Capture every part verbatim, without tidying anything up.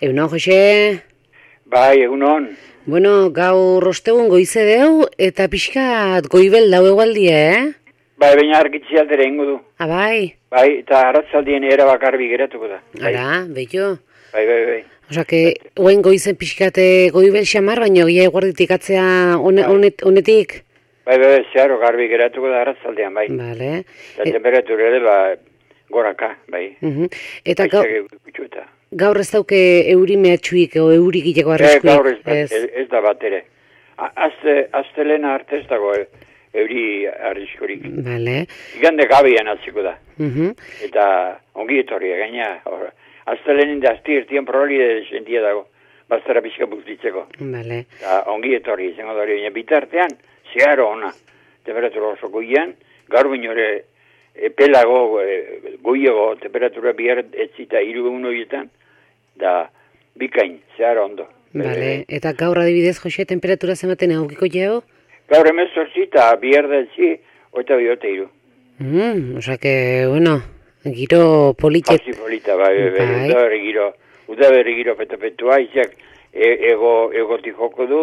Egunon, Jose? Bai, egunon. Bueno, gaur ostegun goize deu, eta pixkat goibel dau egualdia, eh? Bai, baina argitzi aldera ingo du. Ah, bai? Bai, eta arratzaldien era bakarbi geratuko da. Bai. Ara, beto. Bai, bai, bai. Osa, que, oen goizen pixkate goibel xamar, baina gia eguarditik atzea one, Bai. onet, onetik? Bai, bai, bai, zeharo garbi geratuko da arratzaldean, bai. Vale. Eta E- temperatura ere, ba, goraka, bai. Mhm. Eta gau, Haizak gutxuta. gaur ez dauke euri mehatxuik, o euri gileko Eh, arriskuik? gaur ez, ez. ez da bat ere. A- Azte, aztelena arte ez dago eh, euri arriskurik. Vale. Igande gabian atziko da. Mhm. Eta ongi etorria gaina. hor, Aztelenin da azti irtien probabili sentia dago. Bastara pixka buztitzeko. Vale. Eta ongi etorri izango da hori, baina bitartean, zeharo ona, temperatura oso goian, gaur baino ere epelago, e, goiago, temperatura bihar etzita hiru egun horietan, da bikain, zeharo ondo. Vale. Eta gaur adibidez, Jose, temperatura zematen egokiko jau? Gaur emezortzi eta bihar da etzi, oita bihote hiru. Mm, osa que, bueno, giro politet. Pasi polita, bai, bai, bai, Bai. udaberri giro, udaberri giro petapetua, izak e, ego, egotik joko du,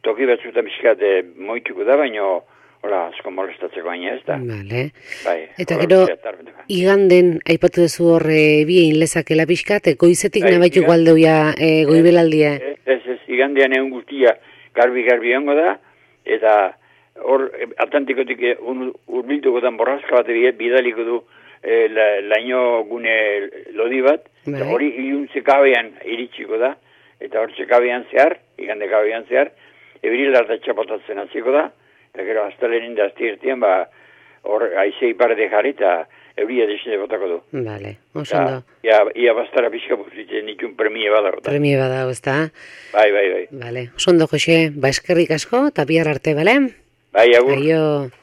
toki batzutan bizkate moituko da, baino, hola, asko molestatzeko baina ez da. Vale. Bai, Eta hola, gero, zeatarbetuka. iganden, aipatu dezu horre biein lezakela pixkat, goizetik Bai, nabaitu igan- gualdeuia e, goibelaldia. Ez, ez, ez, igandean egun guztia garbi-garbi ongo da, eta hor, eh, Atlantikotik eh, un- urbiltuko dan borrazka bat bi- bidaliko du eh, la, laino gune lodi bat, eta Bai. hori iluntze kabean iritsiko da, eta hor txekabean zehar, igande kabean zehar, ebril harta txapotatzen hasiko da, eta gero astelenin da azti irtien, ba, hor aize iparde jarri eta euria desine botako du. Vale, oso Eta, ondo. ia, ia bastara pixka buzitzen ditun premie badago. da. Premie badago, ezta? Bai, bai, bai. Vale, oso ondo, Jose, ba eskerrik asko, eta bihar arte, bale? Bai, agur. Aio.